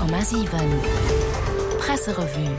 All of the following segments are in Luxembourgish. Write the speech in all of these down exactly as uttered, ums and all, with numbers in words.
Komma siwen Presserevue.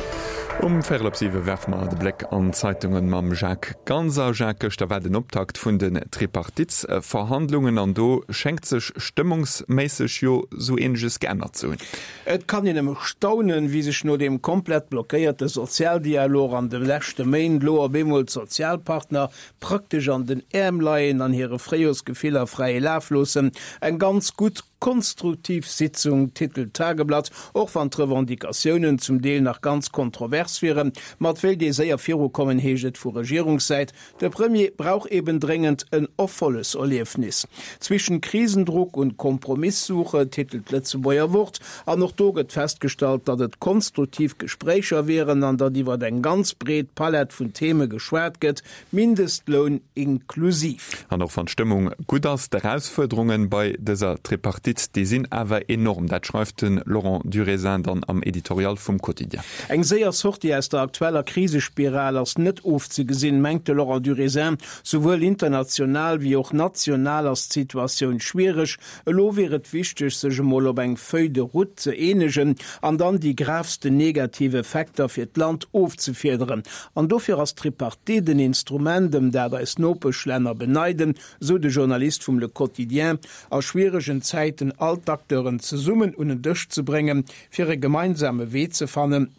Um Véierel op siwe werfe mer de Bléck an d'Zeitungen mam Jacques Ganser. Jacques, gëschter war den Optakt vun den Tripartitsverhandlungen an do schéngt sech stëmmungsméisseg jo sou eeneges geännert ze hunn. Et kann een nëmme staunen, wéi sech no deem komplett blockéierte Sozialdialog an de leschte Méint lo op eemol d'Sozialpartner praktesch an den Äerm leien an hire Fréijorsgefiller fräie Laf loossen. Eng ganz gutt konstruktiv Sitzung, titelt d'Tageblatt, och wann d'Revendicatiounen zum Deel nach ganz kontrovers wieren. Ma et wéilt ee séier virukommen, heescht et vu Regierungssäit. De Premier brauch eben dréngend en Erfolleserliefnis. Zwischen Krisendruck und Kompromisssuche, titelt d'Lëtzebuerger Wort. An och do gëtt festgestallt, datt et konstruktiv Gespréicher wieren an datt iwwer eng ganz breet Palett vun Theme geschwat gëtt, Mindestloun inklusiv. An och wann d'Stëmmung gutt ass, d'Erausfuerderunge bei dëser Tripartite, déi sinn awer enorm. Dat schreift de Laurent Durézin dann am Editorial vum Quotidien. Eng séier Sortie aus der aktueller Krisespiral ass net ofzegesinn, mengt de Laurent Durézin. Souwuel international wéi och national ass d'Situatioun schwiereg. Elo wier et wichteg, sech emol op eng Feuille de route ze eenegen an dann déi gravsten negativ Effekter fir d'Land ofzefiederen. An dofir ass d'Tripartite en Instrument, ëm dat eis Nopeschlänner beneiden, sou de Journalist vum Le Quotidien, a schwieregen Zäiten all d'Acteuren zesummen un en Dësch ze bréngen, fir e gemeinsame Wee ze fannen.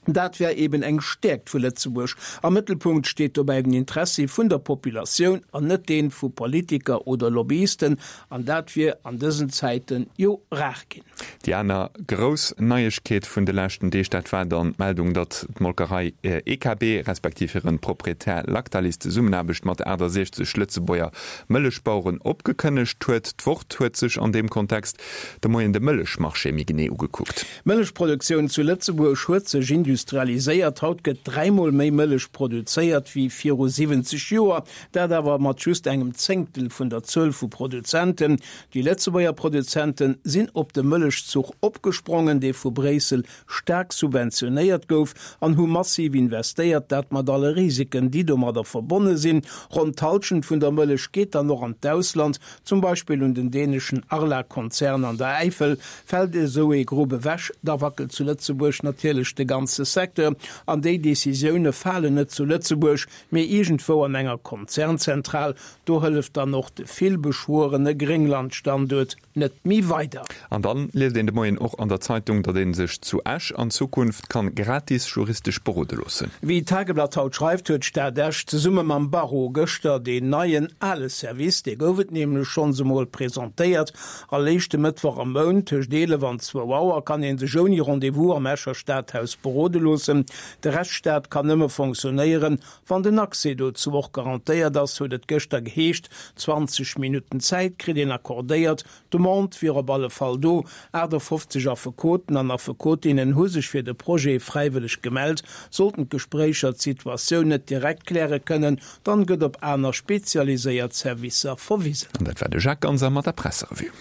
Dat wär eben eng Stäerkt vu Lëtzebuerg. Am Mëttelpunkt steet dobäi den Interessi vun der Populatioun an net dee vu Politiker oder Lobbyisten. An dat wier an dësen Zäite jo rar ginn. Déi aner grouss Neiegkeet vun de leschten Deeg, dat war dann d'Meldung, datt d'Molkerei E K B respektiv hiren Proprietär Lactalis d'Zesummenaarbecht mat achtasiechzeg Lëtzebuerger Mëllechbaueren opgekënnegt huet. D'Wort huet sech an deem Kontext de Moien de Mëllechmarché méi genee ugekuckt. D'Mëllechproduktioun zu Lëtzebuerg huet sech industrialiséiert. Haut gëtt dräimol méi Mëllech produzéiert wéi viru siwwenzeg Joer, dat awer mat just engem Zéngtel vun der Zuel vu Produzenten. Déi Lëtzebuerger Produzente sinn op de Mëllechzuch opgesprongen, dee vu Bréissel staark subventionéiert gouf, an hu massiv investéiert, dat mat alle Risiken, déi domadder verbonne sinn. Ronn d'Hallschent vun der Mëllech geet dann och an d'Ausland, zum Beispill un den däneschen Arla-Konzern an der Äifel. Fält esou ee Grupp ewech, da wackelt zu Lëtzebuerg natierlech de ganze Secteur. An déi Decisioune falen net zu Lëtzebuerg, mee iergendwou an enger Konzernzentral. Do hëlleft dann och de vill beschwuerene Grénglandstanduert net méi weider. An dann liest een de Moien och an der Zeitung, datt ee sech zu Esch an Zukunft kann gratis juristesch berode loossen. Wéi d'Tageblatt haut schreift, huet d'Stad Esch zesumme mam Barreau gëschter deen neien ale Service, dee gouf et nämlech schonns emol, presentéiert. All éischte Mëttwoch am Mount tëscht eelef an zwou Auer kann ee sech ouni Rendez-vous am Escher Stadhaus berode loossen. De Rechtsstaat kann nëmme fonctionnéieren, wann den Accès dozou och garantéiert ass, huet et gëschter geheescht. Zwanzeg Minutten Zäit kritt een accordéiert. D'Demande wier op alle Fall do. Aachtafoffzeg Affekoten an Affekotinnen hu sech fir de Projet fräiwëlleg gemellt. Sollten d'Gespréicher d'Situatioun net direkt kläre kënnen, dann gëtt op aner spezialiséiert Servicer verwisen. An dat war de Jacques Ganser mat der Presserevue.